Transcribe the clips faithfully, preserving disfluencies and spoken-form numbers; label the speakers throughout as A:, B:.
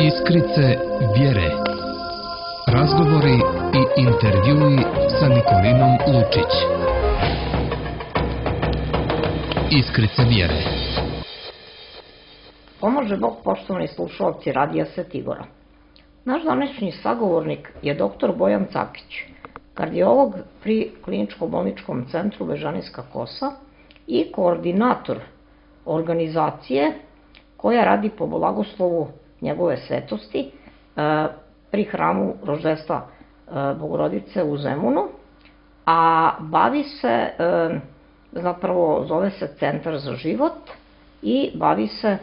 A: Iskrice vjere. Razgovori i intervjui sa Nikolinom Lučić. Iskrice vjere.
B: Pomože Bog, poštovani slušalci Radija Svetigora. Naš današnji sagovornik je doktor Bojan Cakić, kardiolog pri Kliničko-bolničkom centru Bežanijska Kosa i koordinator organizacije koja radi po blagoslovu njegove svetosti pri hramu Roždestva Bogorodice u Zemunu, a bavi se, zapravo zove se Centar za život i bavi se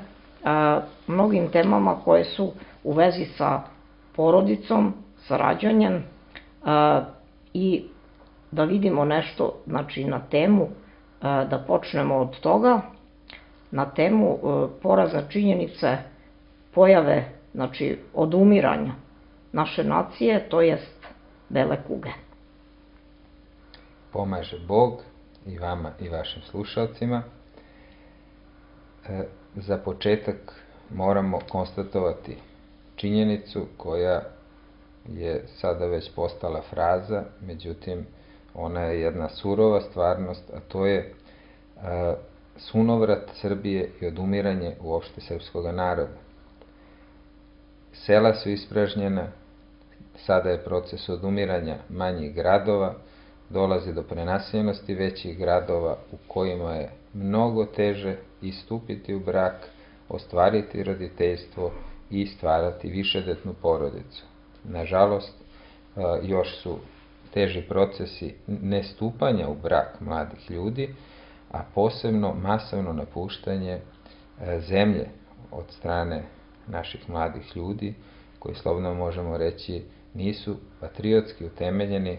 B: mnogim temama koje su u vezi sa porodicom, sa rađanjem i da vidimo nešto, znači na temu, da počnemo od toga, na temu porazne činjenice pojave, znači odumiranja naše nacije, to jest bele kuge.
C: Pomaže Bog i vama i vašim slušalcima. E, za početak moramo konstatovati činjenicu koja je sada već postala fraza, međutim ona je jedna surova stvarnost, a to je e, sunovrat Srbije i odumiranje uopšte srpskog naroda. Sela su ispražnjena, sada je proces odumiranja manjih gradova, dolazi do prenaseljenosti većih gradova u kojima je mnogo teže i stupiti u brak, ostvariti roditeljstvo i stvarati višedetnu porodicu. Nažalost, još su teži procesi nestupanja u brak mladih ljudi, a posebno masovno napuštanje zemlje od strane naših mladih ljudi, koji slobodno možemo reći nisu patriotski utemeljeni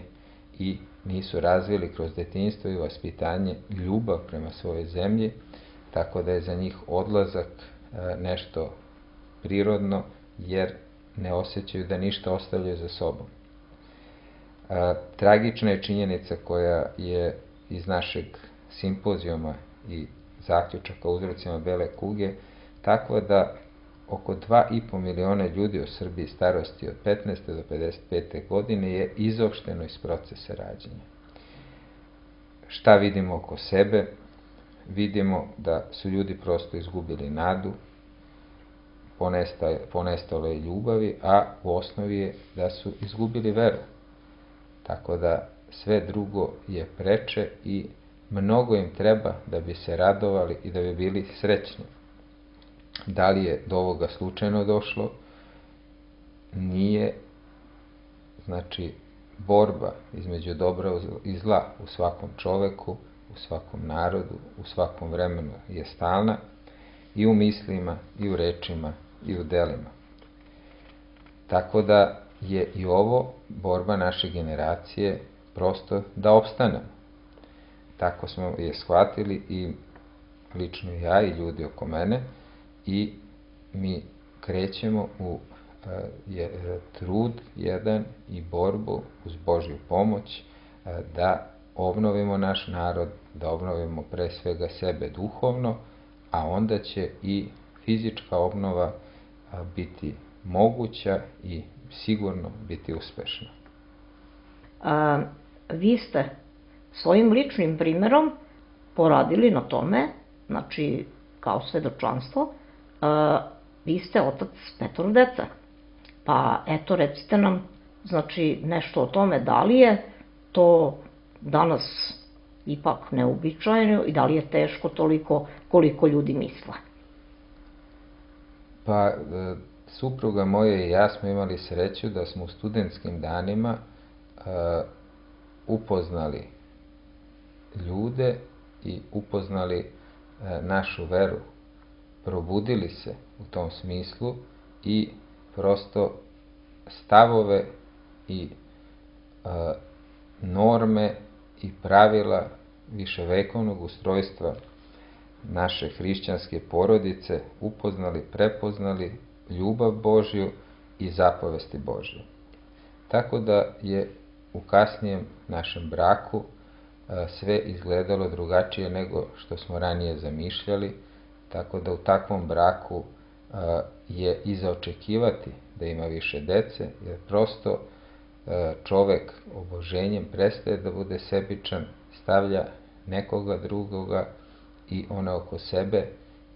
C: i nisu razvili kroz detinjstvo i vaspitanje ljubav prema svojoj zemlji, tako da je za njih odlazak nešto prirodno, jer ne osjećaju da ništa ostavljaju za sobom. Tragična je činjenica koja je iz našeg simpozijuma i zaključaka o uzrocima bele kuge takva da oko dva i po miliona ljudi u Srbiji starosti od petnaeste do pedeset pete godine je izopšteno iz procesa rađanja. Šta vidimo oko sebe? Vidimo da su ljudi prosto izgubili nadu, ponestalo je ljubavi, a u osnovi je da su izgubili veru. Tako da sve drugo je preče i mnogo im treba da bi se radovali i da bi bili srećni. Da li je do ovoga slučajno došlo? Nije. Znači, borba između dobra i zla u svakom čoveku, u svakom narodu, u svakom vremenu je stalna, i u mislima, i u rečima, i u delima. Tako da je i ovo borba naše generacije prosto da opstanemo. Tako smo je shvatili i lično ja i ljudi oko mene, i mi krećemo u je, trud jedan i borbu uz Božju pomoć da obnovimo naš narod, da obnovimo pre svega sebe duhovno, a onda će i fizička obnova biti moguća i sigurno biti uspešna.
B: A, vi ste svojim ličnim primjerom poradili na tome, znači kao svedočanstvo, a, vi ste otac petoro dece. Pa eto, recite nam, znači, nešto o tome, da li je to danas ipak neuobičajeno i da li je teško toliko koliko ljudi misle?
C: Pa, supruga moja i ja smo imali sreću da smo u studentskim danima uh, upoznali ljude i upoznali uh, našu veru. Probudili se u tom smislu i prosto stavove i uh, norme i pravila viševekovnog ustrojstva naše hrišćanske porodice upoznali, prepoznali ljubav Božju i zapovesti Božje. Tako da je u kasnijem našem braku sve izgledalo drugačije nego što smo ranije zamišljali, tako da u takvom braku je i za očekivati da ima više dece, jer prosto čovek oboženjem prestaje da bude sebičan, stavlja nekoga drugoga i one oko sebe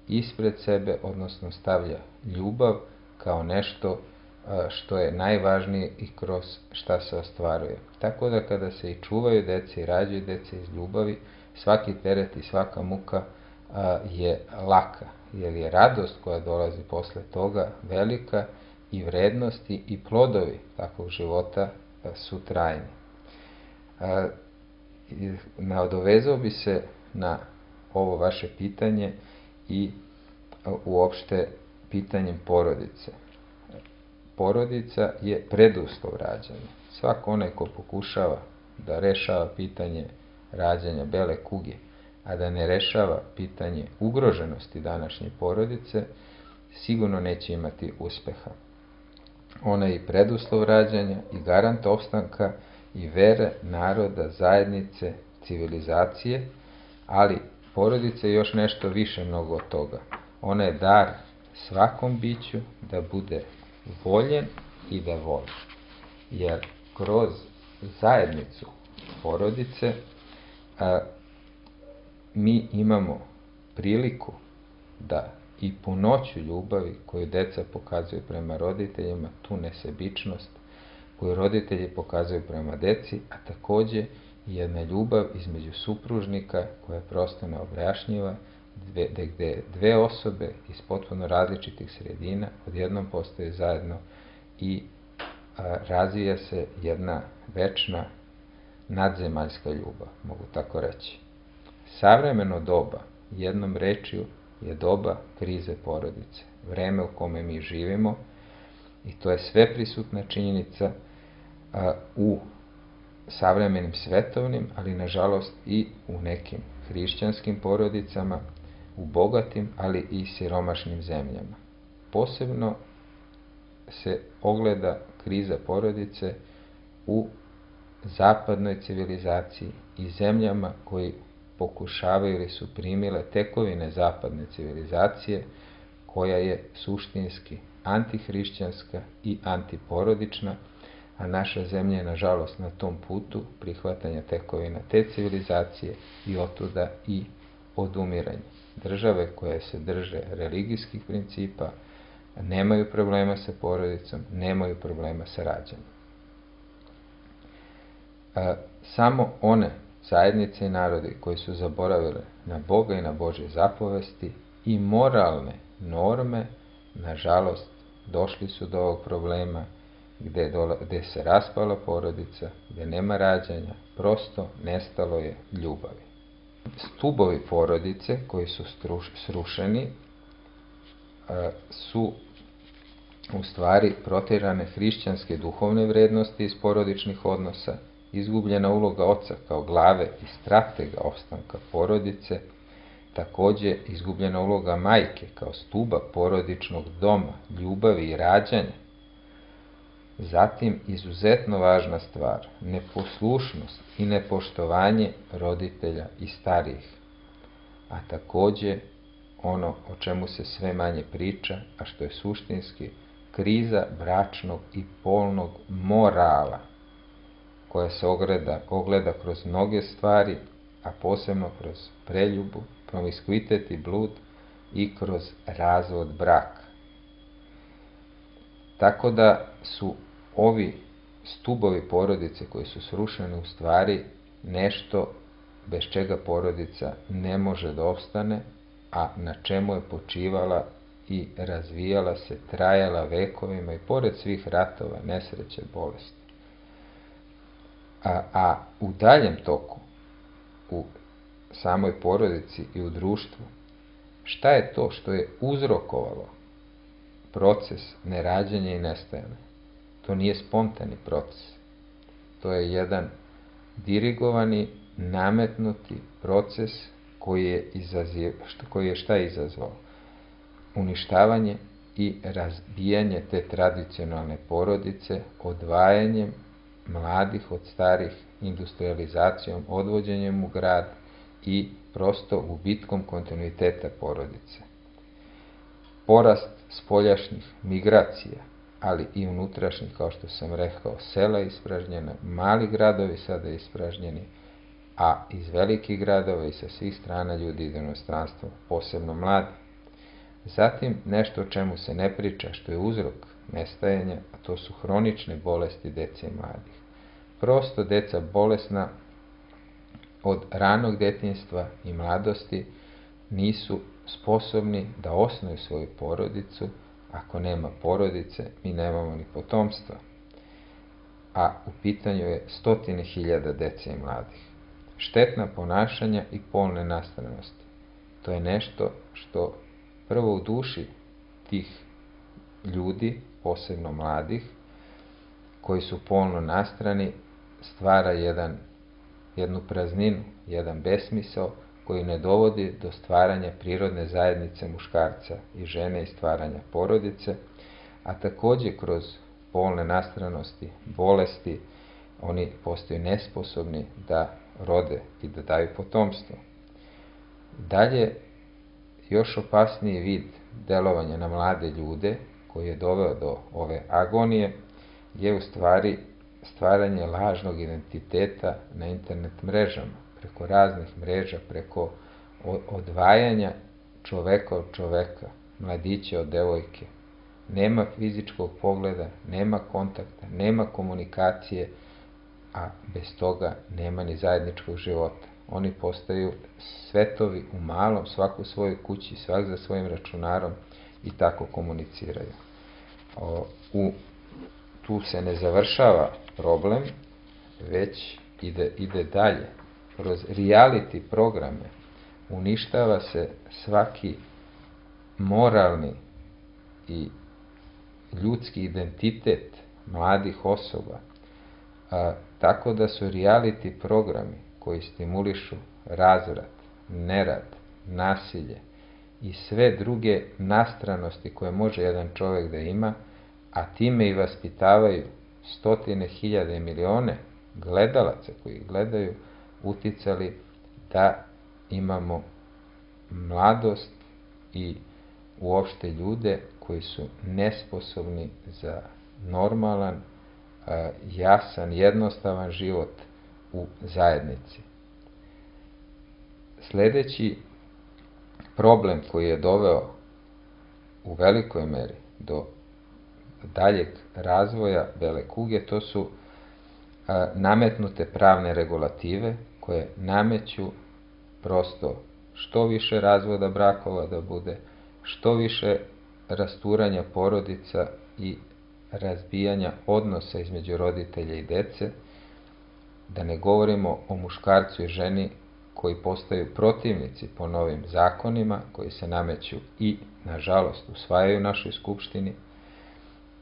C: ispred sebe, odnosno stavlja ljubav kao nešto što je najvažnije i kroz šta se ostvaruje. Tako da kada se i čuvaju dece i rađaju dece iz ljubavi, svaki teret i svaka muka je laka, jer je radost koja dolazi posle toga velika i vrednosti i plodovi takvog života su trajni. Nadovezao bi se na ovo vaše pitanje i uopšte pitanjem porodice. Porodica je preduslov rađanja. Svako onaj ko pokušava da rešava pitanje rađanja bele kuge, a da ne rešava pitanje ugroženosti današnje porodice, sigurno neće imati uspeha. Ona je i preduslov rađanja i garant opstanka i vere, naroda, zajednice, civilizacije, ali porodica je još nešto više mnogo od toga. Ona je dar svakom biću da bude voljen i da voli. Jer kroz zajednicu porodice a, mi imamo priliku da i punoću ljubavi koju deca pokazuju prema roditeljima, tu nesebičnost koju roditelji pokazuju prema deci, a takođe jedna ljubav između supružnika koja je prosto neobjašnjiva, gde dve osobe iz potpuno različitih sredina odjednom postoje zajedno i a, razvija se jedna večna nadzemaljska ljubav, mogu tako reći. Savremeno doba, jednom rečju, je doba krize porodice, vreme u kome mi živimo, i to je sveprisutna činjenica a, u savremenim svetovnim, ali nažalost i u nekim hrišćanskim porodicama, u bogatim, ali i siromašnim zemljama. Posebno se ogleda kriza porodice u zapadnoj civilizaciji i zemljama koji pokušavaju ili su primile tekovine zapadne civilizacije, koja je suštinski antihrišćanska i antiporodična, a naša zemlja je nažalost na tom putu prihvatanja tekovina te civilizacije i otuda i odumiranja. Države koje se drže religijskih principa nemaju problema sa porodicom, nemaju problema sa rađanjem. Samo one zajednice i narodi koji su zaboravili na Boga i na Božje zapovesti i moralne norme, nažalost, došli su do ovog problema gde, dola, gde se raspala porodica, gde nema rađanja, prosto nestalo je ljubavi. Stubovi porodice koji su struš, srušeni su u stvari protirane hrišćanske duhovne vrednosti iz porodičnih odnosa, izgubljena uloga oca kao glave i stratega opstanka porodice, takođe izgubljena uloga majke kao stuba porodičnog doma, ljubavi i rađanja. Zatim, izuzetno važna stvar, neposlušnost i nepoštovanje roditelja i starijih, a takođe ono o čemu se sve manje priča, a što je suštinski, kriza bračnog i polnog morala, koja se ogleda, ogleda kroz mnoge stvari, a posebno kroz preljubu, promiskuitet i blud i kroz razvod braka. Tako da su ovi stubovi porodice koji su srušeni u stvari nešto bez čega porodica ne može da opstane, a na čemu je počivala i razvijala se, trajala vekovima i pored svih ratova, nesreće, bolesti. A, a u daljem toku, u samoj porodici i u društvu, šta je to što je uzrokovalo proces nerađanja i nestajanja? To nije spontani proces. To je jedan dirigovani, nametnuti proces koji je, izaziv, koji je šta izazvao? Uništavanje i razbijanje te tradicionalne porodice, odvajanjem mladih od starih, industrializacijom, odvođenjem u grad i prosto gubitkom kontinuiteta porodice. Porast spoljašnjih migracija, ali i unutrašnjih, kao što sam rekao, sela ispražnjena, mali gradovi sada ispražnjeni, a iz velikih gradova i sa svih strana ljudi idu u inostranstvo, posebno mladi. Zatim, nešto o čemu se ne priča, što je uzrok nestajanja, a to su hronične bolesti dece i mladih. Prosto deca bolesna od ranog detinjstva i mladosti nisu sposobni da osnuju svoju porodicu. Ako nema porodice, mi nemamo ni potomstva. A u pitanju je stotine hiljada dece i mladih. Štetna ponašanja i polne nastranosti. To je nešto što prvo u duši tih ljudi, posebno mladih, koji su polno nastrani, stvara jedan, jednu prazninu, jedan besmisao koji ne dovodi do stvaranja prirodne zajednice muškarca i žene i stvaranja porodice, a takođe kroz polne nastranosti, bolesti, oni postaju nesposobni da rode i da daju potomstvo. Dalje, još opasniji vid delovanja na mlade ljude, koji je doveo do ove agonije, je u stvari stvaranje lažnog identiteta na internet mrežama, preko raznih mreža, preko odvajanja čoveka od čoveka, mladića od devojke. Nema fizičkog pogleda, nema kontakta, nema komunikacije, a bez toga nema ni zajedničkog života. Oni postaju svetovi u malom, svako u svojoj kući, svak za svojim računarom i tako komuniciraju. O, u, tu se ne završava problem, već ide, ide dalje. Kroz reality programe uništava se svaki moralni i ljudski identitet mladih osoba, a, tako da su reality programi koji stimulišu razvrat, nerad, nasilje i sve druge nastranosti koje može jedan čovjek da ima, a time i vaspitavaju stotine hiljada i milione gledalaca koji gledaju, uticali da imamo mladost i uopšte ljude koji su nesposobni za normalan, jasan, jednostavan život u zajednici. Sljedeći problem koji je doveo u velikoj meri do daljeg razvoja bele kuge, to su nametnute pravne regulative koje nameću prosto što više razvoda brakova da bude, što više rasturanja porodica i razbijanja odnosa između roditelja i dece, da ne govorimo o muškarcu i ženi koji postaju protivnici po novim zakonima, koji se nameću i, nažalost, usvajaju u našoj skupštini,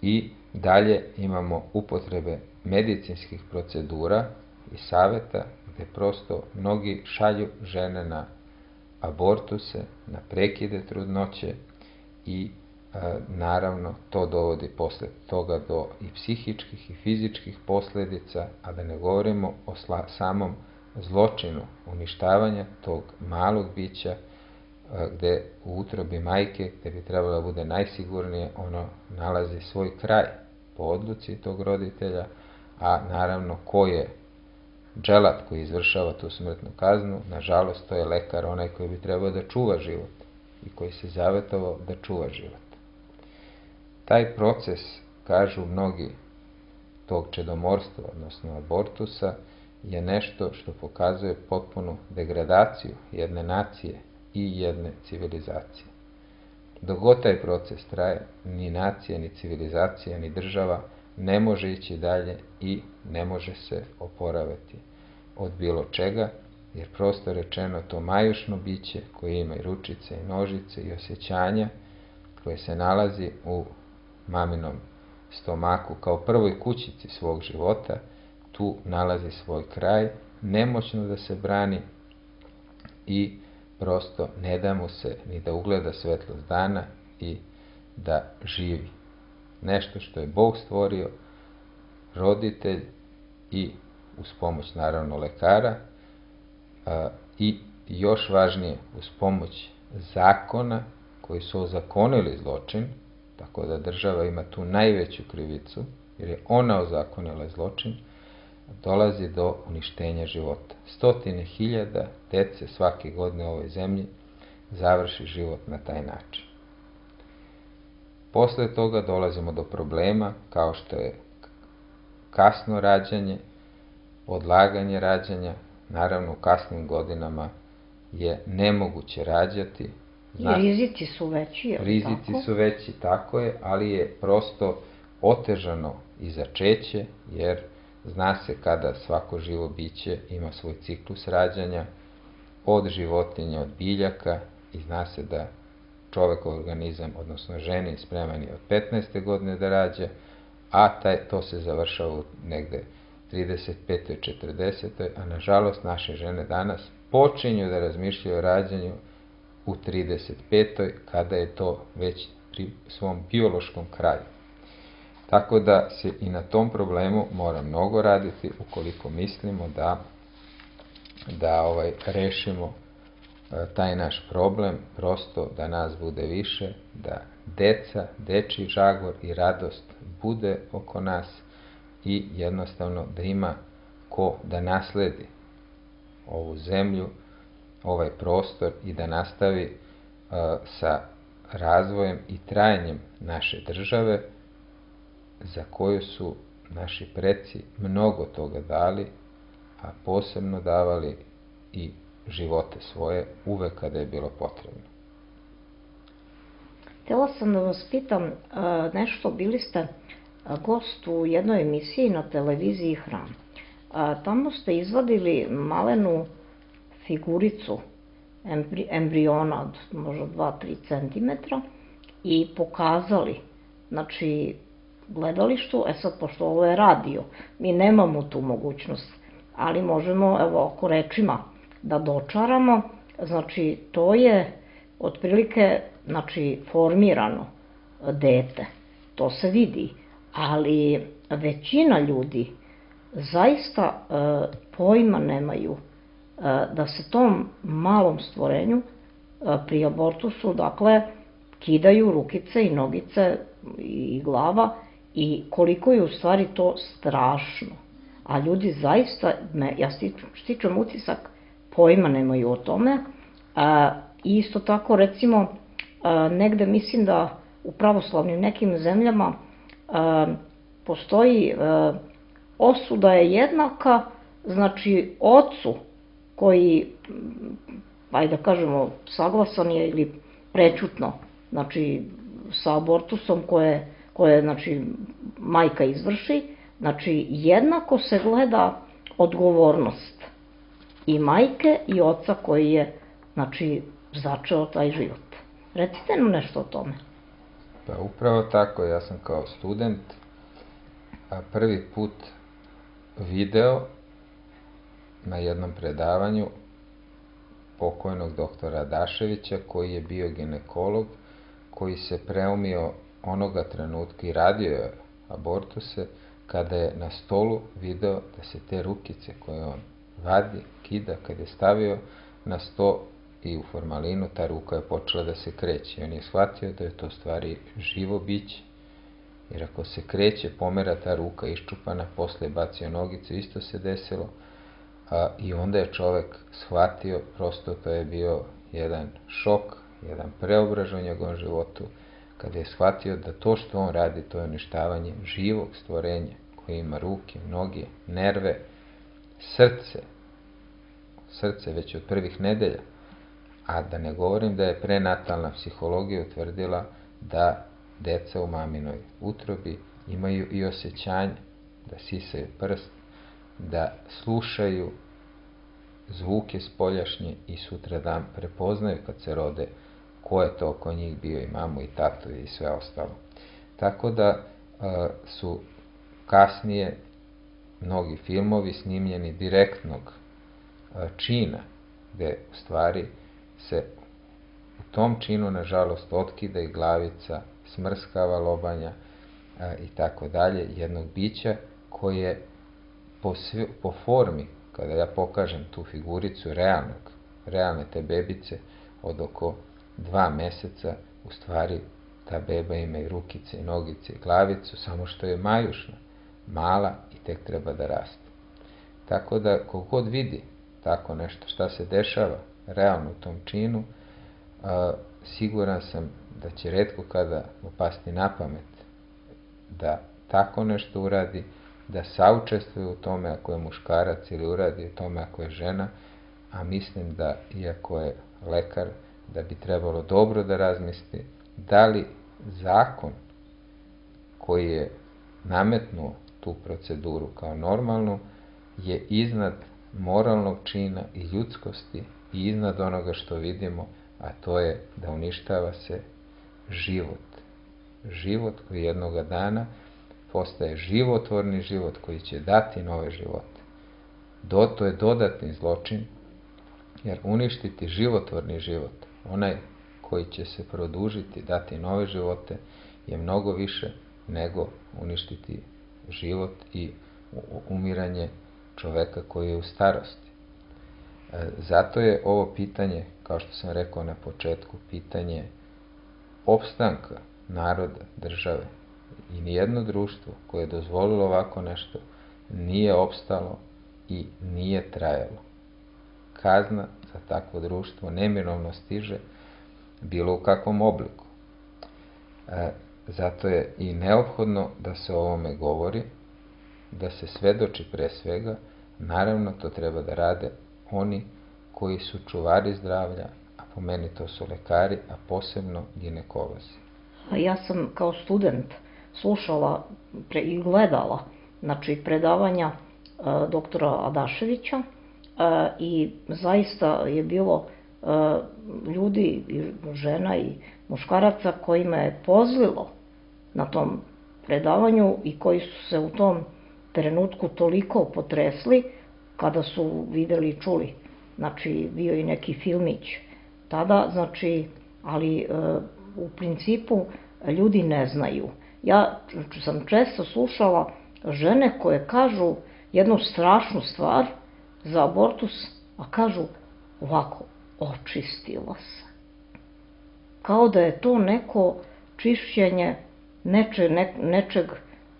C: i dalje imamo upotrebe medicinskih procedura i saveta gde prosto mnogi šalju žene na abortuse, na prekide trudnoće i e, naravno to dovodi posle toga do i psihičkih i fizičkih posledica, a da ne govorimo o sla, samom zločinu uništavanja tog malog bića e, gde u utrobi majke, gde bi trebalo da bude najsigurnije, ono nalazi svoj kraj po odluci tog roditelja, a naravno ko je dželat koji izvršava tu smrtnu kaznu, nažalost to je lekar, onaj koji bi trebao da čuva život i koji se zavetovao da čuva život. Taj proces, kažu mnogi, tog čedomorstva, odnosno abortusa, je nešto što pokazuje potpunu degradaciju jedne nacije i jedne civilizacije. Dok god taj proces traje, ni nacija, ni civilizacija, ni država ne može ići dalje i ne može se oporaviti od bilo čega, jer prosto rečeno to majušno biće koje ima i ručice i nožice i osjećanja, koje se nalazi u maminom stomaku kao prvoj kućici svog života, tu nalazi svoj kraj, nemoćno da se brani i prosto ne da mu se ni da ugleda svetlost dana i da živi. Nešto što je Bog stvorio, roditelj i uz pomoć naravno lekara a, i još važnije uz pomoć zakona koji su ozakonili zločin, tako da država ima tu najveću krivicu, jer je ona ozakonila zločin, dolazi do uništenja života. Stotine hiljada dece svake godine u ovoj zemlji završi život na taj način. Posle toga dolazimo do problema kao što je kasno rađanje, odlaganje rađanja. Naravno, u kasnim godinama je nemoguće rađati.
B: I rizici su veći, je li
C: Rizici
B: tako?
C: su veći, tako je, ali je prosto otežano i začeće, jer zna se kada svako živo biće ima svoj ciklus rađanja, od životinja, od biljaka, i zna se da čovekov organizam, odnosno ženi, spreman je od petnaeste godine da rađa, a taj, to se završava u negde trideset petoj četrdesetoj a nažalost naše žene danas počinju da razmišljaju o rađanju u trideset petoj kada je to već pri svom biološkom kraju. Tako da se i na tom problemu mora mnogo raditi ukoliko mislimo da, da ovaj, rešimo taj naš problem, prosto da nas bude više, da deca, dečiji žagor i radost bude oko nas i jednostavno da ima ko da nasledi ovu zemlju, ovaj prostor i da nastavi uh, sa razvojem i trajanjem naše države za koju su naši preci mnogo toga dali, a posebno davali i živote svoje uvek kada je bilo potrebno.
B: Htela sam da vas pitam nešto, bili ste gost u jednoj emisiji na televiziji Hram. Tamo ste izvadili malenu figuricu embriona od možda dva do tri centimetra i pokazali, znači, gledalištu. E sad, pošto ovo je radio, mi nemamo tu mogućnost, ali možemo, evo, oko rečima da dočaramo. Znači, to je otprilike, znači, formirano dete, to se vidi, ali većina ljudi zaista e, pojma nemaju e, da se tom malom stvorenju e, pri abortusu, dakle, kidaju rukice i nogice i glava, i koliko je u stvari to strašno. A ljudi zaista, me, ja stičem utisak, pojma nemaju o tome. E, isto tako, recimo, e, negde mislim da u pravoslavnim nekim zemljama e, postoji e, osuda je jednaka, znači, ocu koji, ajde da kažemo, saglasan je ili prećutno, znači, sa abortusom koje, koje znači, majka izvrši, znači, jednako se gleda odgovornost i majke i oca koji je, znači, začeo taj život. Recite nam nešto o tome.
C: Pa upravo tako, ja sam kao student prvi put video na jednom predavanju pokojnog doktora Adaševića, koji je bio ginekolog, koji se preumio onoga trenutka i radio je abortuse, kada je na stolu video da se te rukice koje on vadi, kida, kad je stavio na sto i u formalinu, ta ruka je počela da se kreće. I on je shvatio da je to stvari živo biće, jer ako se kreće, pomera ta ruka iščupana, posle bacio nogicu, isto se desilo, a, i onda je čovek shvatio, prosto to je bio jedan šok, jedan preobražaj u njegovom životu, kada je shvatio da to što on radi, to je uništavanje živog stvorenja, koje ima ruke, noge, nerve, srce, srce već od prvih nedelja, a da ne govorim da je prenatalna psihologija utvrdila da deca u maminoj utrobi imaju i osjećanje, da sisaju prst, da slušaju zvuke spoljašnje i sutradan prepoznaju kad se rode ko je to oko njih bio, i mamu i tatu i sve ostalo. Tako da a, su kasnije mnogi filmovi snimljeni direktnog a, čina, gde u stvari se u tom činu, nažalost, otkida i glavica, smrskava lobanja a, i tako dalje, jednog bića koje po, sve, po formi, kada ja pokažem tu figuricu realnog, realne te bebice od oko dva meseca, u stvari ta beba ima i rukice, i nogice, i glavicu, samo što je majušna, mala i tek treba da raste. Tako da, kogod vidi tako nešto, šta se dešava realno u tom činu, a, siguran sam da će retko kada mu pasti na pamet da tako nešto uradi, da saučestvuje u tome ako je muškarac ili uradi u tome ako je žena, a mislim da, iako je lekar, da bi trebalo dobro da razmisli da li zakon koji je nametnuo tu proceduru kao normalnu je iznad moralnog čina i ljudskosti i iznad onoga što vidimo, a to je da uništava se život. Život koji jednoga dana postaje životvorni život koji će dati nove živote. Do, to je dodatni zločin, jer uništiti životvorni život, onaj koji će se produžiti, dati nove živote, je mnogo više nego uništiti život i umiranje čoveka koji je u starosti. Zato je ovo pitanje, kao što sam rekao na početku, pitanje opstanka naroda, države. I nijedno društvo koje je dozvolilo ovako nešto nije opstalo i nije trajalo. Kazna za takvo društvo neminovno stiže, bilo u kakvom obliku. E, zato je i neophodno da se o ovome govori, da se svedoči pre svega. Naravno, to treba da rade oni koji su čuvari zdravlja, a po meni to su lekari, a posebno ginekolozi.
B: Ja sam kao student slušala pre, i gledala znači, predavanja e, doktora Adaševića e, i zaista je bilo e, ljudi, žena i muškaraca kojima je pozlilo na tom predavanju i koji su se u tom trenutku toliko potresli kada su videli i čuli. Znači, bio i neki filmić tada, znači, ali e, u principu ljudi ne znaju. Ja sam često slušala žene koje kažu jednu strašnu stvar za abortus, a kažu ovako, očistila se. Kao da je to neko čišćenje neče, ne, nečeg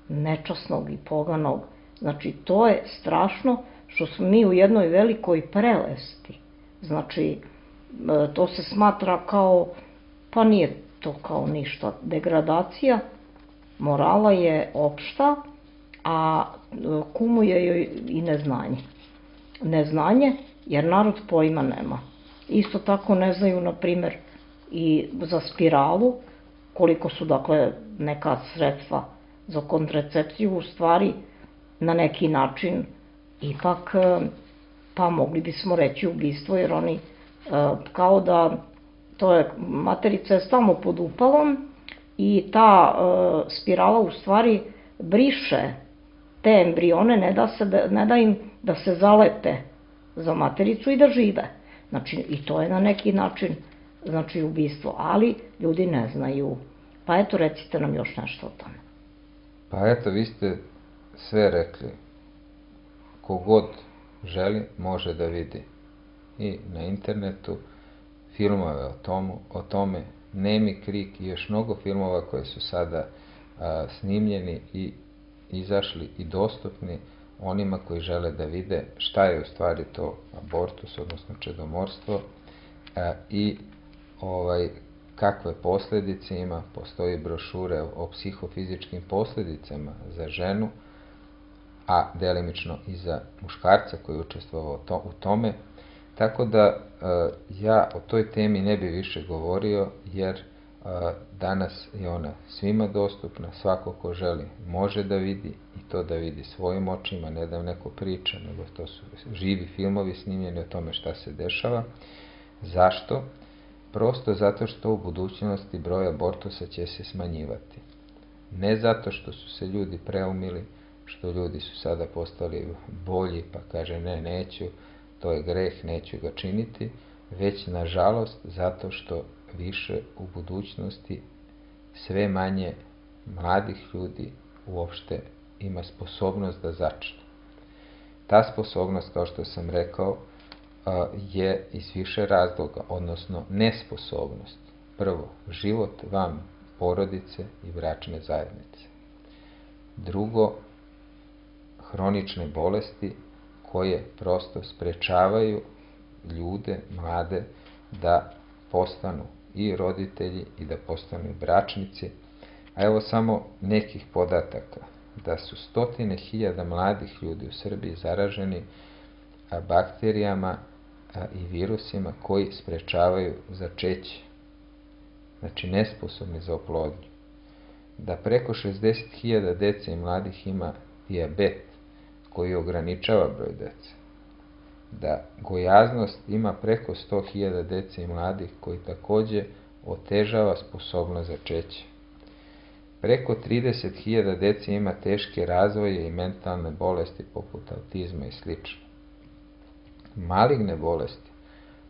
B: nečasnog i poganog. Znači, to je strašno što smo mi u jednoj velikoj prelesti. Znači, to se smatra kao, pa nije to kao ništa. Degradacija morala je opšta, a kumuje joj i neznanje. Neznanje, jer narod pojma nema. Isto tako ne znaju, na primer, i za spiralu, koliko su, dakle, neka sredstva za kontracepciju, u stvari, na neki način, ipak, pa mogli bismo reći ubistvo, jer oni, kao da, to je, materica je stalno pod upalom i ta spirala, u stvari, briše te embrione, ne da, se, ne da im da se zalepe za matericu i da žive. Znači, i to je na neki način, znači, ubistvo, ali ljudi ne znaju. Pa eto, recite nam još nešto o tome.
C: Pa eto, vi ste sve rekli. Kogod želi, može da vidi i na internetu filmove o, tomu, o tome, Nemi krik i još mnogo filmova koji su sada a, snimljeni i izašli i dostupni onima koji žele da vide šta je u stvari to abortus, odnosno čedomorstvo, a, i ovaj, kakve posljedice ima. Postoji brošure o psihofizičkim posljedicama za ženu, a delimično i za muškarca koji je učestvovao to, u tome. Tako da e, ja o toj temi ne bi više govorio, jer e, danas je ona svima dostupna, svako ko želi može da vidi i to da vidi svojim očima, ne da neko priča, nego to su živi filmovi snimljeni o tome šta se dešava. Zašto? Prosto zato što u budućnosti broj abortusa će se smanjivati. Ne zato što su se ljudi preumili, što ljudi su sada postali bolji, pa kaže ne, neću, to je greh, neću ga činiti, već nažalost zato što više u budućnosti sve manje mladih ljudi uopšte ima sposobnost da začne. Ta sposobnost, kao što sam rekao, je iz više razloga, odnosno nesposobnost. Prvo, život van porodice i bračne zajednice. Drugo, hronične bolesti koje prosto sprečavaju ljude, mlade, da postanu i roditelji i da postanu i bračnici. A evo samo nekih podataka, da su stotine hiljada mladih ljudi u Srbiji zaraženi bakterijama i virusima koji sprečavaju začeće, znači nesposobni za oplodnju. Da preko šezdeset hiljada dece i mladih ima dijabet koji ograničava broj dece. Da gojaznost ima preko sto hiljada dece i mladih koji takođe otežava sposobnost začeća. Preko trideset hiljada dece ima teške razvoje i mentalne bolesti poput autizma i sl. Maligne bolesti.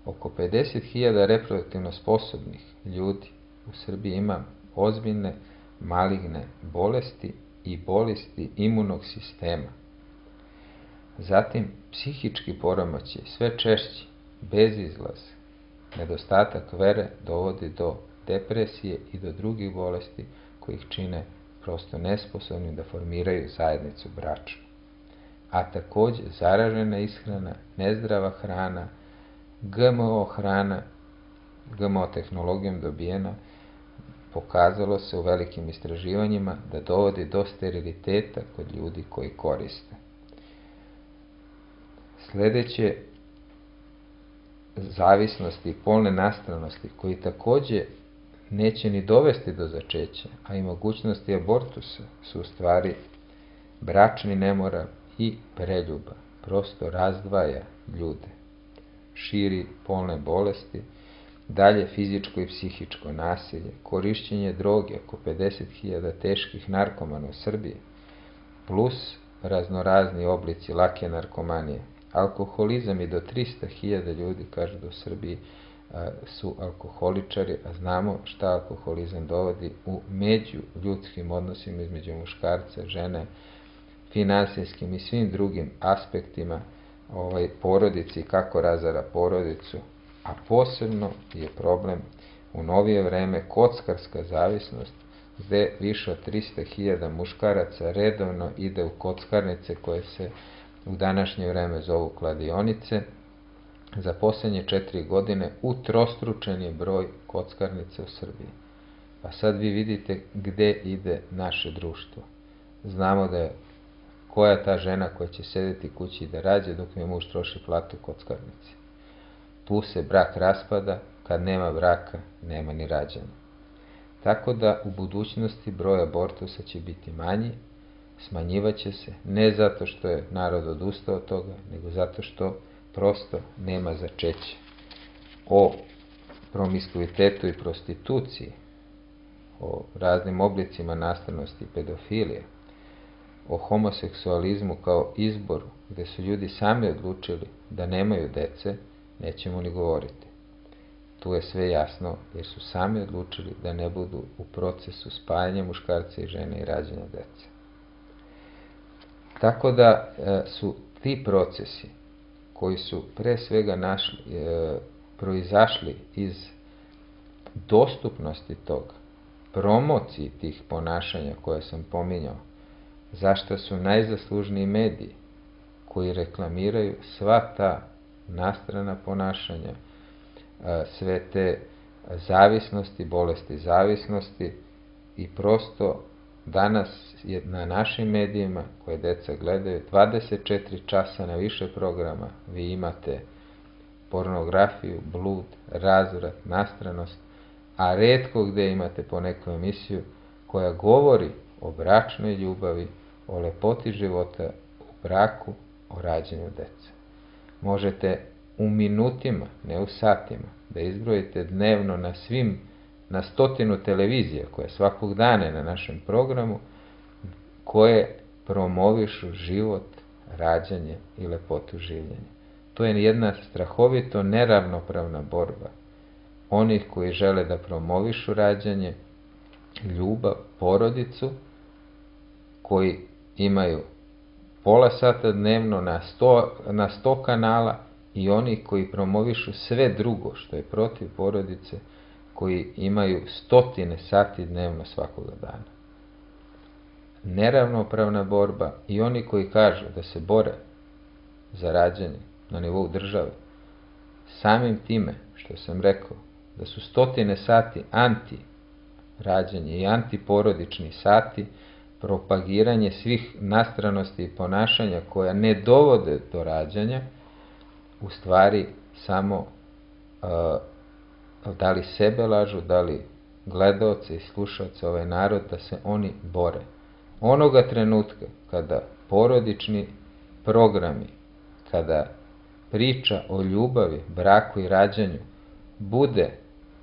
C: Oko pedeset hiljada reproduktivno sposobnih ljudi u Srbiji ima ozbiljne maligne bolesti i bolesti imunog sistema. Zatim, psihički poremećaj, sve češći, bezizlaz, nedostatak vere dovodi do depresije i do drugih bolesti koji ih čine prosto nesposobni da formiraju zajednicu bračnu. A takođe zaražena ishrana, nezdrava hrana, G M O hrana, G M O tehnologijom dobijena, pokazalo se u velikim istraživanjima da dovodi do steriliteta kod ljudi koji koriste. Sledeće, zavisnosti i polne nastranosti, koji takođe neće ni dovesti do začeća, a i mogućnosti abortusa su u stvari bračni nemoral i preljuba, prosto razdvaja ljude, širi polne bolesti, dalje fizičko i psihičko nasilje, korišćenje droge, oko pedeset hiljada teških narkomana u Srbiji, plus raznorazni oblici lake narkomanije, alkoholizam i do trista hiljada ljudi, kažu da u Srbiji su alkoholičari, a znamo šta alkoholizam dovodi u među ljudskim odnosima između muškarca, žene, finansijskim i svim drugim aspektima ovaj, porodici i kako razara porodicu, a posebno je problem u novije vreme kockarska zavisnost, gde više od trista hiljada muškaraca redovno ide u kockarnice koje se u današnje vreme zovu kladionice. Za poslednje četiri godine utrostručen je broj kockarnica u Srbiji. Pa sad vi vidite gde ide naše društvo. Znamo da je koja je ta žena koja će sedeti kući da rađe dok mi muž troši platu u kockarnici. Tu se brak raspada, kad nema braka, nema ni rađanja. Tako da u budućnosti broj abortusa će biti manji, smanjivaće se, ne zato što je narod odustao od toga, nego zato što prosto nema začeća. O promiskuitetu i prostituciji, o raznim oblicima nastavnosti i pedofilije, o homoseksualizmu kao izboru, gde su ljudi sami odlučili da nemaju dece, nećemo ni govoriti. Tu je sve jasno, jer su sami odlučili da ne budu u procesu spajanja muškarca i žene i rađanja dece. Tako da su ti procesi koji su pre svega našli, e, proizašli iz dostupnosti toga, promociji tih ponašanja koje sam pominjao, zašto su najzaslužniji mediji koji reklamiraju sva ta nastrana ponašanja, e, sve te zavisnosti, bolesti zavisnosti i prosto danas je na našim medijima koje deca gledaju dvadeset četiri časa na više programa vi imate pornografiju, blud, razvrat, nastranost, a retko gde imate po neku emisiju koja govori o bračnoj ljubavi, o lepoti života u braku, o rađanju dece. Možete u minutima, ne u satima, da izbrojite dnevno na svim na stotinu televizija koje svakog dana na našem programu, koje promovišu život, rađanje i lepotu življenja. To je jedna strahovito neravnopravna borba onih koji žele da promovišu rađanje, ljubav, porodicu, koji imaju pola sata dnevno na sto, na sto kanala i oni koji promovišu sve drugo što je protiv porodice, koji imaju stotine sati dnevno svakoga dana. Neravnopravna borba i oni koji kažu da se bore za rađanje na nivou države, samim time što sam rekao da su stotine sati anti-rađanje i antiporodični sati, propagiranje svih nastranosti i ponašanja koja ne dovode do rađanja, u stvari samo uh, da li sebe lažu, da li gledaoce i slušaoce, ovaj narod, da se oni bore. Onoga trenutka kada porodični programi, kada priča o ljubavi, braku i rađanju bude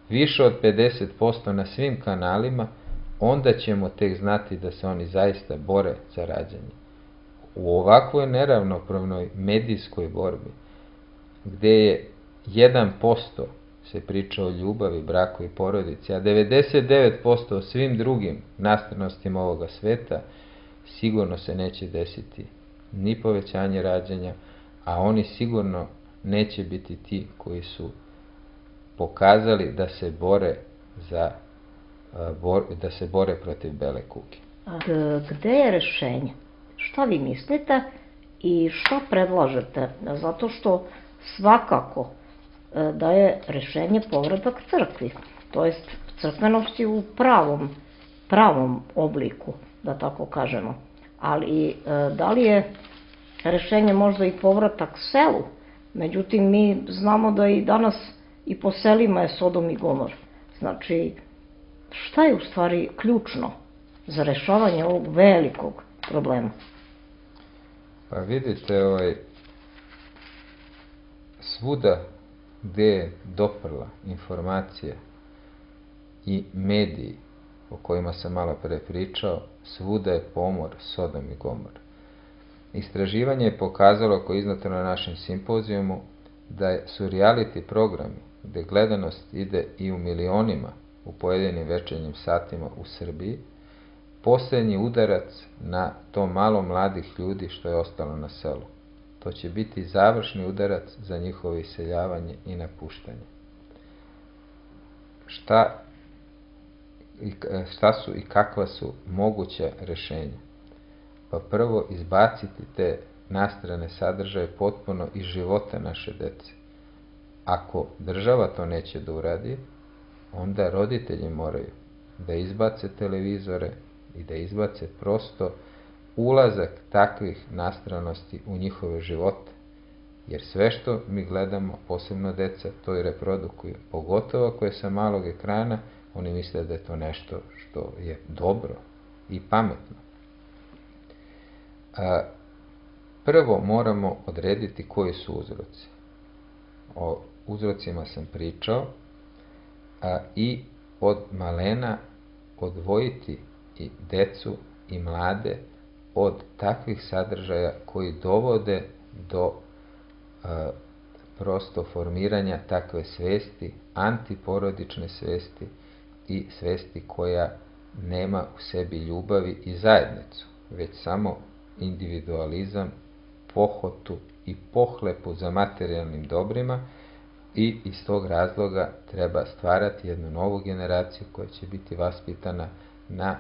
C: više od pedeset posto na svim kanalima, onda ćemo tek znati da se oni zaista bore za rađanje. U ovakvoj neravnopravnoj medijskoj borbi, gde je jedan posto se priča o ljubavi, braku i porodici, a devedeset devet posto o svim drugim nastranostima ovoga sveta, sigurno se neće desiti ni povećanje rađanja, a oni sigurno neće biti ti koji su pokazali da se bore za da se bore protiv bele kuge.
B: Gde je rešenje? Šta vi mislite i šta predlažete? Zato što svakako da je rešenje povratak crkvi, to jest crkvenosti u pravom, pravom obliku, da tako kažemo. Ali da li je rešenje možda i povratak selu? Međutim, mi znamo da i danas i po selima je Sodom i Gomor. Znači, šta je u stvari ključno za rešavanje ovog velikog problema?
C: Pa vidite, ovaj, svuda gde je doprla informacija i mediji o kojima sam malo pre pričao, svuda je pomor Sodom i Gomor. Istraživanje je pokazalo, koje je izneto na našem simpozijumu, da su reality programi, gde gledanost ide i u milionima u pojedinim večernjim satima u Srbiji, posljednji udarac na to malo mladih ljudi što je ostalo na selu. To će biti završni udarac za njihovo iseljavanje i napuštanje. Šta, šta su i kakva su moguća rešenja? Pa prvo, izbaciti te nastrane sadržaje potpuno iz života naše dece. Ako država to neće da uradi, onda roditelji moraju da izbace televizore i da izbace prosto ulazak takvih nastranosti u njihove živote. Jer sve što mi gledamo, posebno deca, to i reprodukuju. Pogotovo ako je sa malog ekrana, oni misle da je to nešto što je dobro i pametno. A, prvo moramo odrediti koji su uzroci. O uzrocima sam pričao, a, i od malena odvojiti i decu i mlade od takvih sadržaja koji dovode do a, prosto formiranja takve svesti, antiporodične svesti i svesti koja nema u sebi ljubavi i zajednicu, već samo individualizam, pohotu i pohlepu za materijalnim dobrima, i iz tog razloga treba stvarati jednu novu generaciju koja će biti vaspitana na,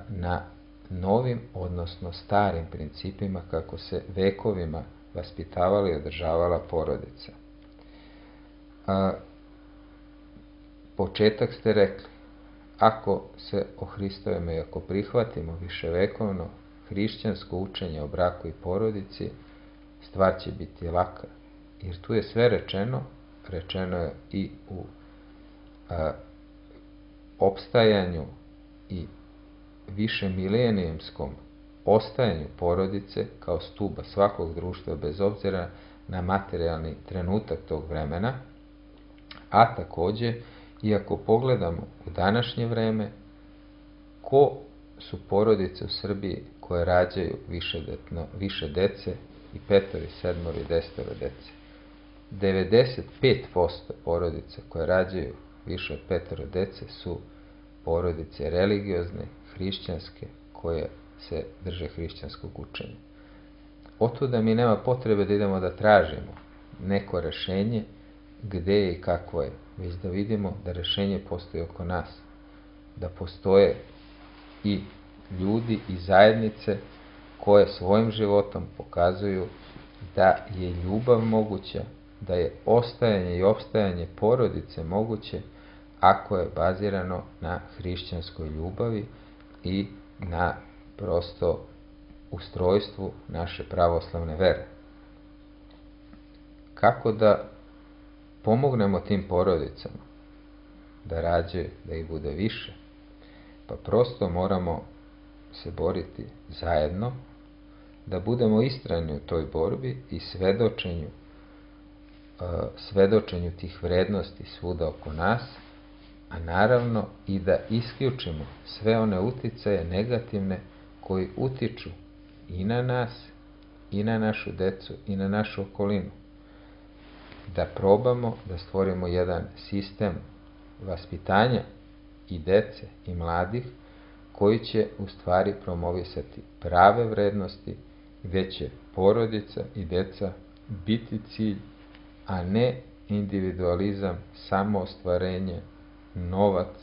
C: na novim, odnosno starim principima kako se vekovima vaspitavala i održavala porodica. A, početak ste rekli, ako se o Hristovima i ako prihvatimo viševekovno hrišćansko učenje o braku i porodici, stvar će biti laka. Jer tu je sve rečeno, rečeno je i u a, opstajanju i višemilenijumskom ostajanju porodice kao stuba svakog društva bez obzira na materijalni trenutak tog vremena, a takođe, i ako pogledamo u današnje vreme, ko su porodice u Srbiji koje rađaju višedetno, više dece i petoro, sedmoro i desetoro dece. devedeset pet posto porodica koje rađaju više od petoro dece su porodice religiozne, hrišćanske, koje se drže hrišćanskog učenja. Otuda mi nema potrebe da idemo da tražimo neko rešenje, gde je i kakvo je, već da vidimo da rešenje postoji oko nas, da postoje i ljudi i zajednice koje svojim životom pokazuju da je ljubav moguća, da je ostajanje i opstajanje porodice moguće ako je bazirano na hrišćanskoj ljubavi i na prosto ustrojstvu naše pravoslavne vere. Kako da pomognemo tim porodicama da rađaju, da ih bude više? Pa prosto moramo se boriti zajedno, da budemo istrajni u toj borbi i svedočenju, svedočenju tih vrednosti svuda oko nas, a naravno i da isključimo sve one uticaje negativne koji utiču i na nas, i na našu decu, i na našu okolinu. Da probamo da stvorimo jedan sistem vaspitanja i dece i mladih koji će u stvari promovisati prave vrednosti, gde će porodica i deca biti cilj, a ne individualizam, samoostvarenje, novac,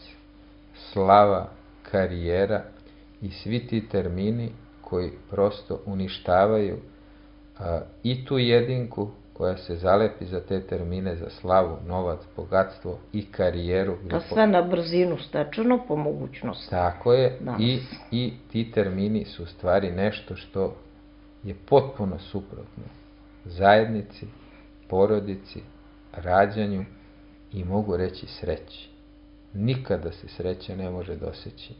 C: slava, karijera i svi ti termini koji prosto uništavaju a, i tu jedinku koja se zalepi za te termine, za slavu, novac, bogatstvo i karijeru.
B: Pa sve na brzinu stečeno po mogućnosti.
C: Tako je, i, i ti termini su u stvari nešto što je potpuno suprotno zajednici, porodici, rađanju i mogu reći sreći. Nikada se sreća ne može doseći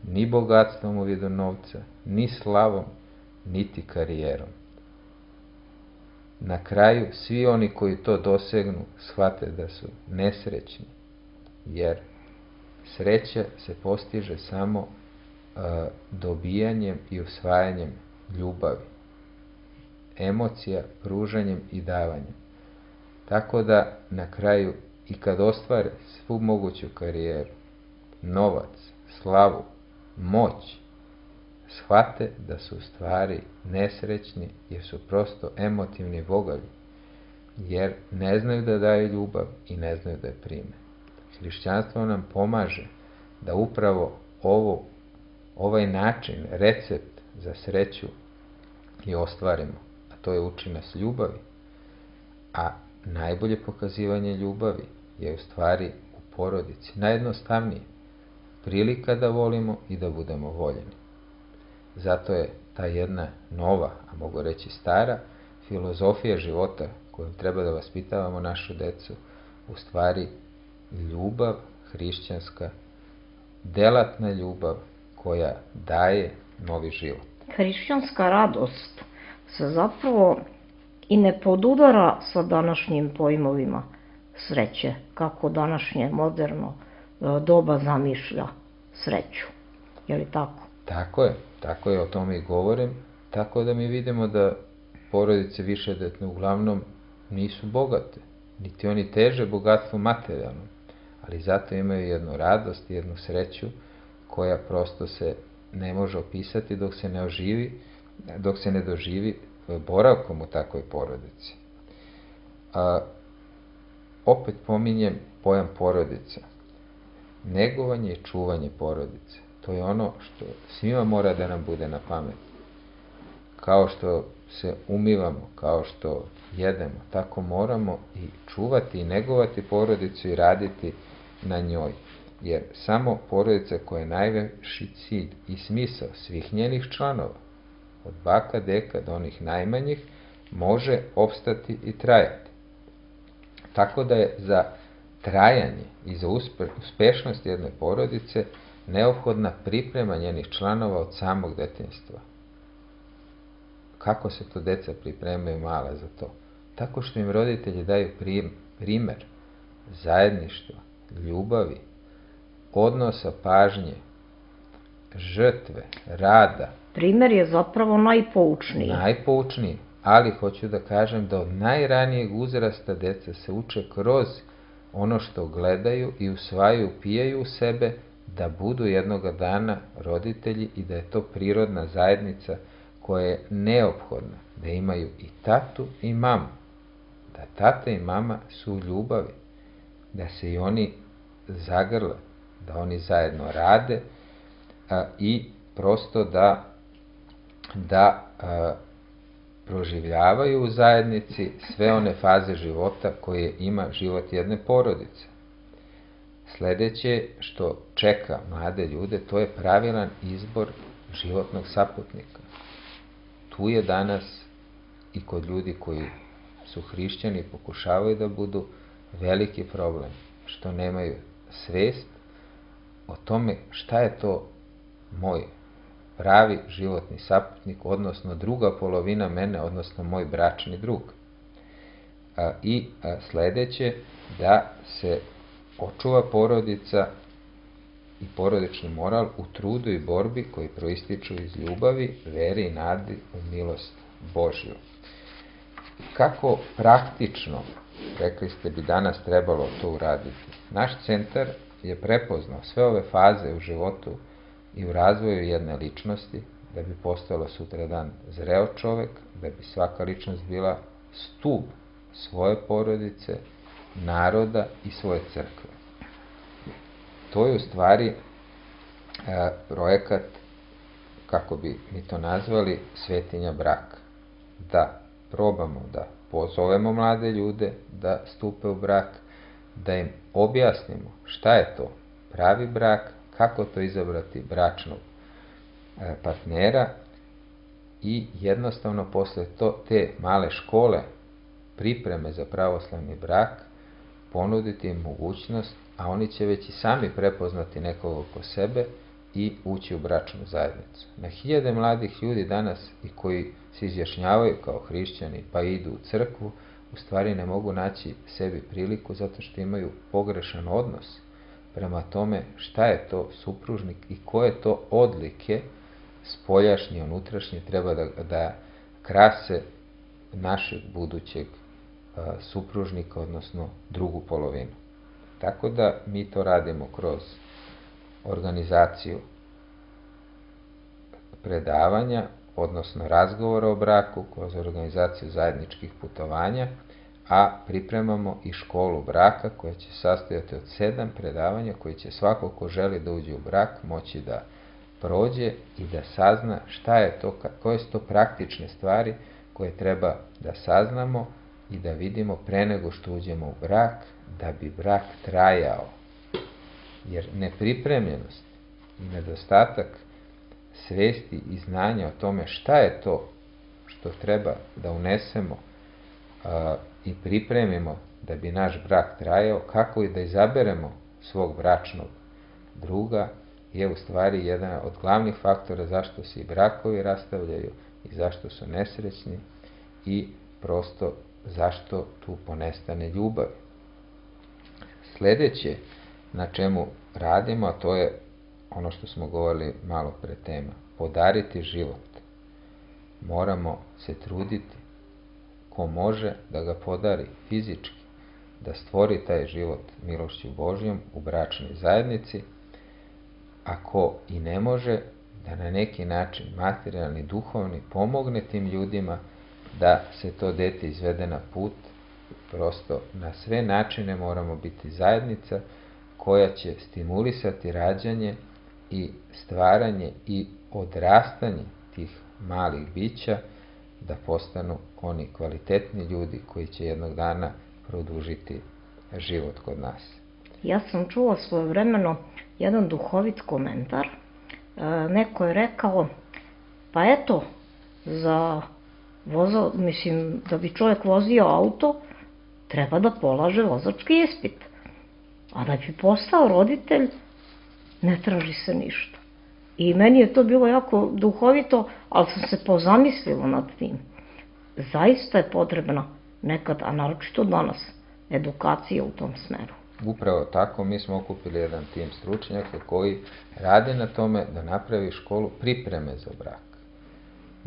C: ni bogatstvom u vidu novca, ni slavom, niti karijerom. Na kraju, svi oni koji to dosegnu shvate da su nesrećni, jer sreća se postiže samo uh, dobijanjem i usvajanjem ljubavi, emocija, pružanjem i davanjem. Tako da na kraju i kad ostvare svu moguću karijeru, novac, slavu, moć, shvate da su u stvari nesrećni jer su prosto emotivni bogalji, jer ne znaju da daju ljubav i ne znaju da je prime. Hrišćanstvo nam pomaže da upravo ovo, ovaj način, recept za sreću i ostvarimo, a to je uči nas ljubavi, a najbolje pokazivanje ljubavi je u stvari u porodici, najjednostavnije, prilika da volimo i da budemo voljeni. Zato je ta jedna nova, a mogu reći stara, filozofija života kojom treba da vaspitavamo našu decu, u stvari ljubav hrišćanska, delatna ljubav koja daje novi život.
B: Hrišćanska radost se zapravo i ne podudara sa današnjim pojmovima sreće, kako današnje moderno doba zamišlja sreću. Je li tako?
C: Tako je, tako je, o tome i govorim, tako da mi vidimo da porodice višedetne uglavnom nisu bogate, niti oni teže bogatstvo materijalno, ali zato imaju jednu radost i jednu sreću koja prosto se ne može opisati dok se ne oživi, dok se ne doživi boravkom u takvoj porodici. A, opet pominjem pojam porodica. Negovanje i čuvanje porodice. To je ono što svima mora da nam bude na pamet. Kao što se umivamo, kao što jedemo, tako moramo i čuvati i negovati porodicu i raditi na njoj. Jer samo porodica koja je najveći cilj i smisao svih njenih članova, od baka, deka do onih najmanjih, može opstati i trajati. Tako da je za trajanje i za uspešnost jedne porodice neophodna priprema njenih članova od samog detinjstva. Kako se to deca pripremaju mala za to? Tako što im roditelji daju primer zajedništva, ljubavi, odnosa pažnje, žrtve, rada.
B: Primer je zapravo najpoučniji.
C: Najpoučniji, ali hoću da kažem da od najranijeg uzrasta deca se uče kroz ono što gledaju i usvajaju, upijaju u sebe, da budu jednoga dana roditelji i da je to prirodna zajednica koja je neophodna, da imaju i tatu i mamu, da tata i mama su u ljubavi, da se i oni zagrle, da oni zajedno rade a, i prosto da, da a, proživljavaju u zajednici sve one faze života koje ima život jedne porodice. Sljedeće što čeka mlade ljude, to je pravilan izbor životnog saputnika. Tu je danas i kod ljudi koji su hrišćani i pokušavaju da budu veliki problem, što nemaju svest o tome šta je to moj pravi životni saputnik, odnosno druga polovina mene, odnosno moj bračni drug. A, I a, sljedeće, da se očuva porodica i porodični moral u trudu i borbi koji proističu iz ljubavi, vere i nadi u milost Božju. Kako praktično, rekli ste, bi danas trebalo to uraditi? Naš centar je prepoznao sve ove faze u životu i u razvoju jedne ličnosti, da bi postala sutradan zreo čovek, da bi svaka ličnost bila stub svoje porodice, naroda i svoje crkve. To je u stvari e, projekat, kako bi mi to nazvali, svetinja braka. Da probamo da pozovemo mlade ljude da stupe u brak, da im objasnimo šta je to pravi brak, kako to izabrati bračnog e, partnera i jednostavno posle to, te male škole pripreme za pravoslavni brak ponuditi im mogućnost, a oni će već i sami prepoznati nekog oko sebe i ući u bračnu zajednicu. Na hiljade mladih ljudi danas i koji se izjašnjavaju kao hrišćani pa idu u crkvu, u stvari ne mogu naći sebi priliku zato što imaju pogrešan odnos prema tome šta je to supružnik i koje to odlike spoljašnje i unutrašnje treba da, da krase našeg budućeg a, supružnika, odnosno drugu polovinu. Tako da mi to radimo kroz organizaciju predavanja, odnosno razgovora o braku, kroz organizaciju zajedničkih putovanja, a pripremamo i školu braka koja će sastojati od sedam predavanja koji će svako ko želi da uđe u brak moći da prođe i da sazna šta je to, koje su to praktične stvari koje treba da saznamo i da vidimo pre nego što uđemo u brak, da bi brak trajao. Jer nepripremljenost i nedostatak svesti i znanja o tome šta je to što treba da unesemo a, i pripremimo da bi naš brak trajao, kako i da izaberemo svog bračnog druga, je u stvari jedan od glavnih faktora zašto se i brakovi rastavljaju i zašto su nesrećni i prosto zašto tu ponestane ljubav. Sljedeće na čemu radimo, a to je ono što smo govorili malo pre tema, podariti život. Moramo se truditi ko može da ga podari fizički, da stvori taj život milošću Božjom u bračnoj zajednici, a ko i ne može, da na neki način materijalni, duhovni pomogne tim ljudima da se to dete izvede na put. Prosto na sve načine moramo biti zajednica koja će stimulisati rađanje i stvaranje i odrastanje tih malih bića da postanu oni kvalitetni ljudi koji će jednog dana produžiti život kod nas.
B: Ja sam čula svojevremeno jedan duhovit komentar. E, neko je rekao, pa eto, za voza, mislim, da bi čovjek vozio auto, treba da polaže vozački ispit. A da bi postao roditelj, ne traži se ništa. I meni je to bilo jako duhovito, ali sam se pozamislila nad tim. Zaista je potrebna nekad, a naročito danas, edukacija u tom smeru.
C: Upravo tako, mi smo okupili jedan tim stručnjaka koji rade na tome da napravi školu pripreme za brak.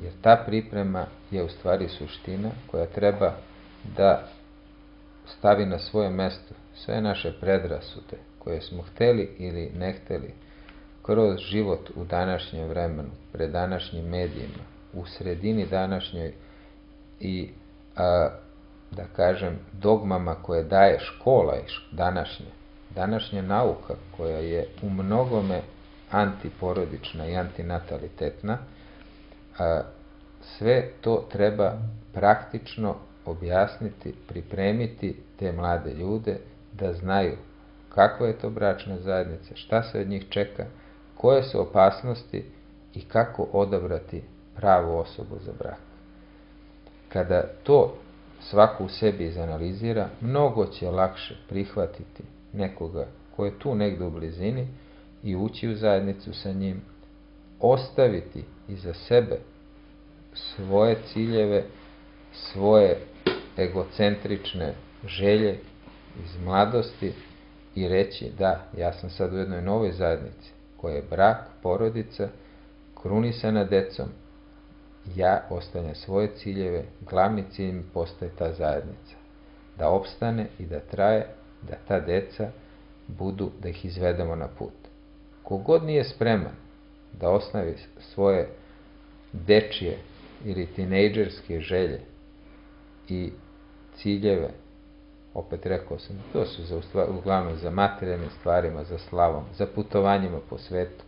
C: Jer ta priprema je u stvari suština koja treba da stavi na svoje mesto sve naše predrasude koje smo hteli ili ne hteli kroz život u današnjem vremenu, pred današnjim medijima, u sredini današnjoj i a, da kažem, dogmama koje daje škola i današnja, današnja nauka koja je u mnogome antiporodična i antinatalitetna, a, sve to treba praktično objasniti, pripremiti te mlade ljude da znaju kakva je to bračna zajednica, šta se od njih čeka, koje su opasnosti i kako odabrati pravu osobu za brak. Kada to svako u sebi izanalizira, mnogo će lakše prihvatiti nekoga ko je tu negdje u blizini i ući u zajednicu sa njim, ostaviti iza sebe svoje ciljeve, svoje egocentrične želje iz mladosti i reći da, ja sam sad u jednoj novoj zajednici koja je brak, porodica, krunisana decom, ja ostavljam svoje ciljeve, glavni cilj mi postaje ta zajednica, da opstane i da traje, da ta deca budu, da ih izvedemo na put. Kogod nije spreman da osnavi svoje dečije ili tinejdžerske želje i ciljeve, opet rekao sam, to su za, uglavnom za materijalnim stvarima, za slavom, za putovanjima po svetu,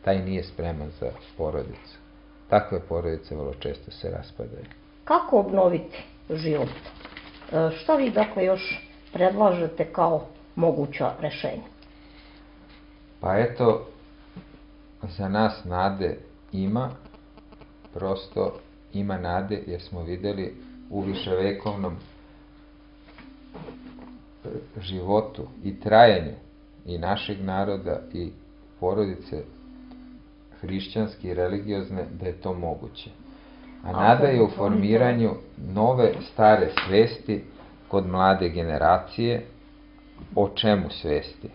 C: taj nije spreman za porodicu. Takve porodice vrlo često se raspadaju.
B: Kako obnoviti život? E, šta vi dakle još predlažete kao moguća rešenja?
C: Pa eto, za nas nade ima, prosto ima nade jer smo vidjeli u viševekovnom životu i trajanju i našeg naroda i porodice hrišćanske i religiozne da je to moguće. A nada je u formiranju nove stare svesti kod mlade generacije. O čemu svesti?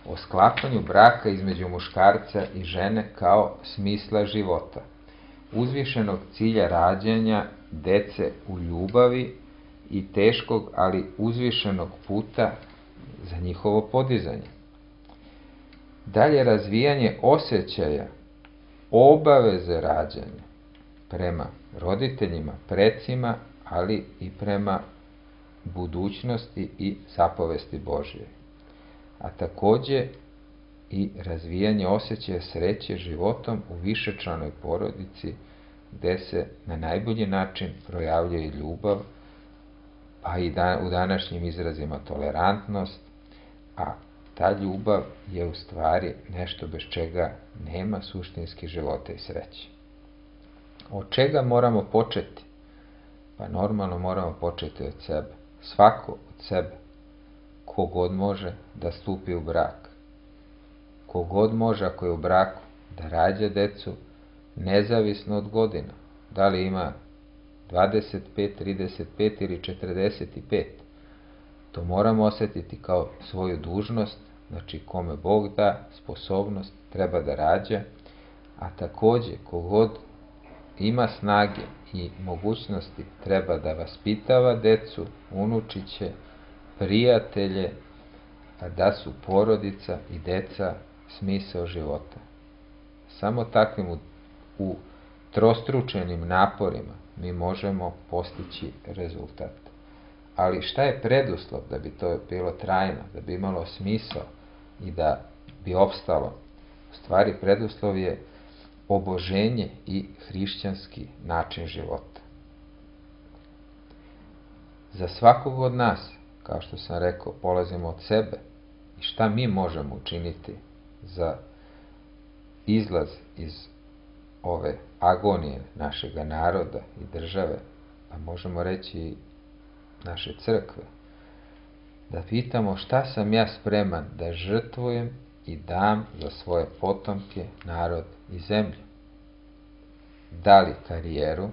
C: O sklapanju braka između muškarca i žene kao smisla života, uzvišenog cilja rađanja dece u ljubavi i teškog, ali uzvišenog puta za njihovo podizanje. Dalje, razvijanje osjećaja obaveze rađanja prema roditeljima, precima, ali i prema budućnosti i zapovesti Božje. A takođe i razvijanje osjećaja sreće životom u višečlanoj porodici gde se na najbolji način projavljuje ljubav, pa i da, u današnjim izrazima tolerantnost, a ta ljubav je u stvari nešto bez čega nema suštinski života i sreće. Od čega moramo početi? Pa normalno moramo početi od sebe. Svako od sebe. Kogod može da stupi u brak. Kogod može, ako je u braku, da rađa decu nezavisno od godina. Da li ima dvadeset pet, trideset pet ili četrdeset pet. To moramo osjetiti kao svoju dužnost, znači kome Bog da sposobnost, treba da rađa, a takođe kogod ima snage i mogućnosti treba da vaspitava decu, unučiće, prijatelje, a da su porodica i deca smisao života. Samo takvim u, u trostručenim naporima mi možemo postići rezultat. Ali šta je preduslov da bi to bilo trajno, da bi imalo smisao i da bi opstalo? U stvari preduslov je oboženje i hrišćanski način života. Za svakog od nas, kao što sam rekao, polazimo od sebe i šta mi možemo učiniti za izlaz iz ove agonije našega naroda i države, pa možemo reći i naše crkve, da pitamo šta sam ja spreman da žrtvujem i dam za svoje potomke, narod i zemlju. Da li karijeru,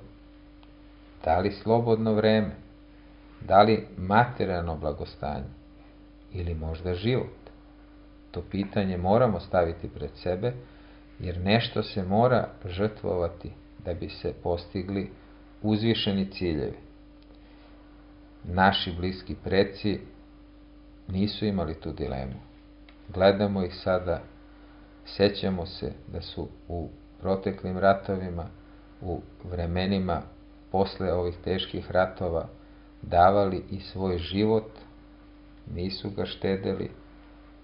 C: da li slobodno vreme, da li materijalno blagostanje ili možda život. To pitanje moramo staviti pred sebe, jer nešto se mora žrtvovati da bi se postigli uzvišeni ciljevi. Naši bliski preci nisu imali tu dilemu. Gledamo ih sada, sećamo se da su u proteklim ratovima, u vremenima posle ovih teških ratova, davali i svoj život, nisu ga štedeli,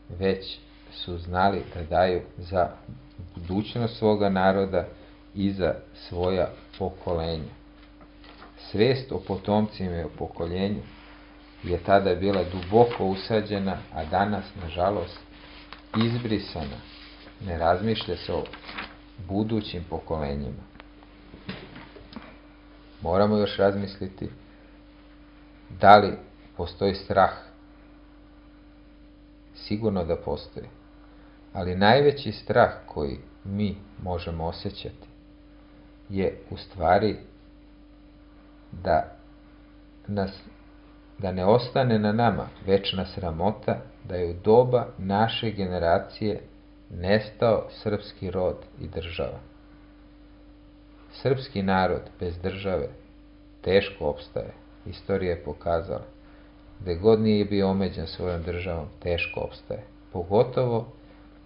C: već su znali da daju za budućnost svoga naroda i za svoja pokolenja. Svest o potomcima i o pokoljenju je tada bila duboko usađena, a danas, nažalost, izbrisana. Ne razmišlja se o budućim pokolenjima. Moramo još razmisliti da li postoji strah. Sigurno da postoji. Ali najveći strah koji mi možemo osjećati je u stvari da nas da ne ostane na nama večna sramota da je u doba naše generacije nestao srpski rod i država. Srpski narod bez države teško opstaje. Istorija je pokazala. Gde god nije bio omeđen svojom državom, teško opstaje. Pogotovo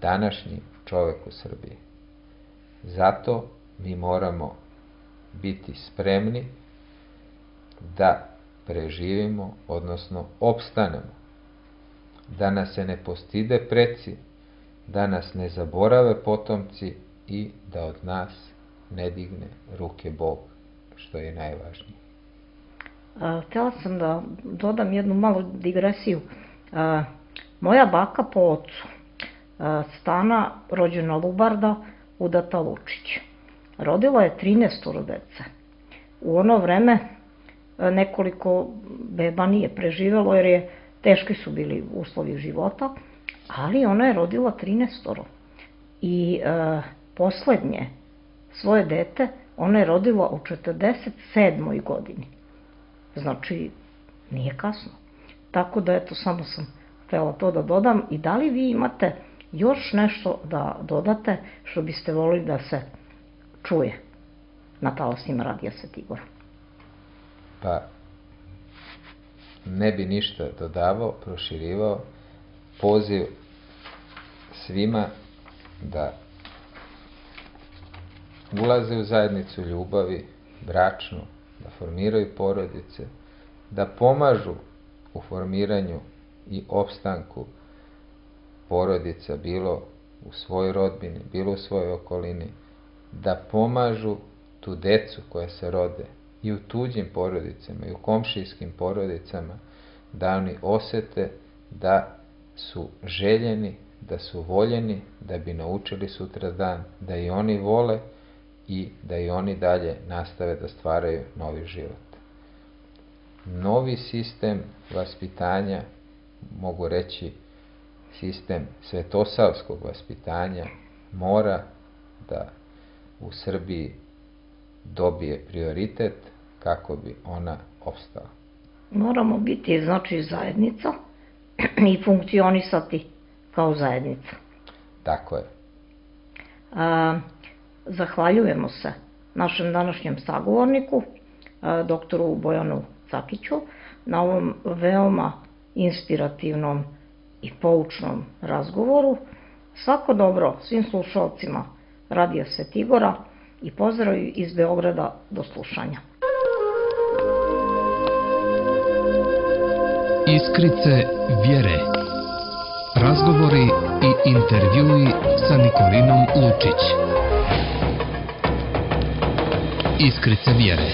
C: današnji čovek u Srbiji. Zato mi moramo biti spremni da preživimo, odnosno opstanemo. Da nas se ne postide preci, da nas ne zaborave potomci i da od nas ne digne ruke Bog, što je najvažnije.
B: Htjela sam da dodam jednu malu digresiju. Moja baka po ocu, Stana, rođena Lubarda, udata Lučić. Rodila je trinaestoro dece. U ono vreme nekoliko beba nije preživelo jer je teški su bili uslovi života, ali ona je rodila trinaestoro. I e, poslednje svoje dete ona je rodila u četrdeset sedmoj godini. Znači, nije kasno. Tako da, eto, samo sam htjela to da dodam. I da li vi imate još nešto da dodate što biste volili da se čuje na talasima Radija Svetigora?
C: Pa, ne bi ništa dodavao, proširivao. Poziv svima da ulaze u zajednicu ljubavi, bračnu, da formiraju porodice, da pomažu u formiranju i opstanku porodica, bilo u svojoj rodbini, bilo u svojoj okolini, da pomažu tu decu koja se rode i u tuđim porodicama i u komšijskim porodicama, da oni osete da su željeni, da su voljeni, da bi naučili sutradan, da i oni vole i da i oni dalje nastave da stvaraju novi život. Novi sistem vaspitanja, mogu reći sistem svetosavskog vaspitanja, mora da u Srbiji dobije prioritet kako bi ona opstala.
B: Moramo biti, znači, zajednica i funkcionisati kao zajednica.
C: Tako je.
B: A, zahvaljujemo se našem današnjem sagovorniku, a, doktoru Bojanu Cakiću, na ovom veoma inspirativnom i poučnom razgovoru. Svako dobro svim slušalcima Radija Svetigora i pozdrav iz Beograda, do slušanja.
A: Iskrice vjere. Razgovori i intervjui sa Nikolinom Lučić. Iskrice vjere.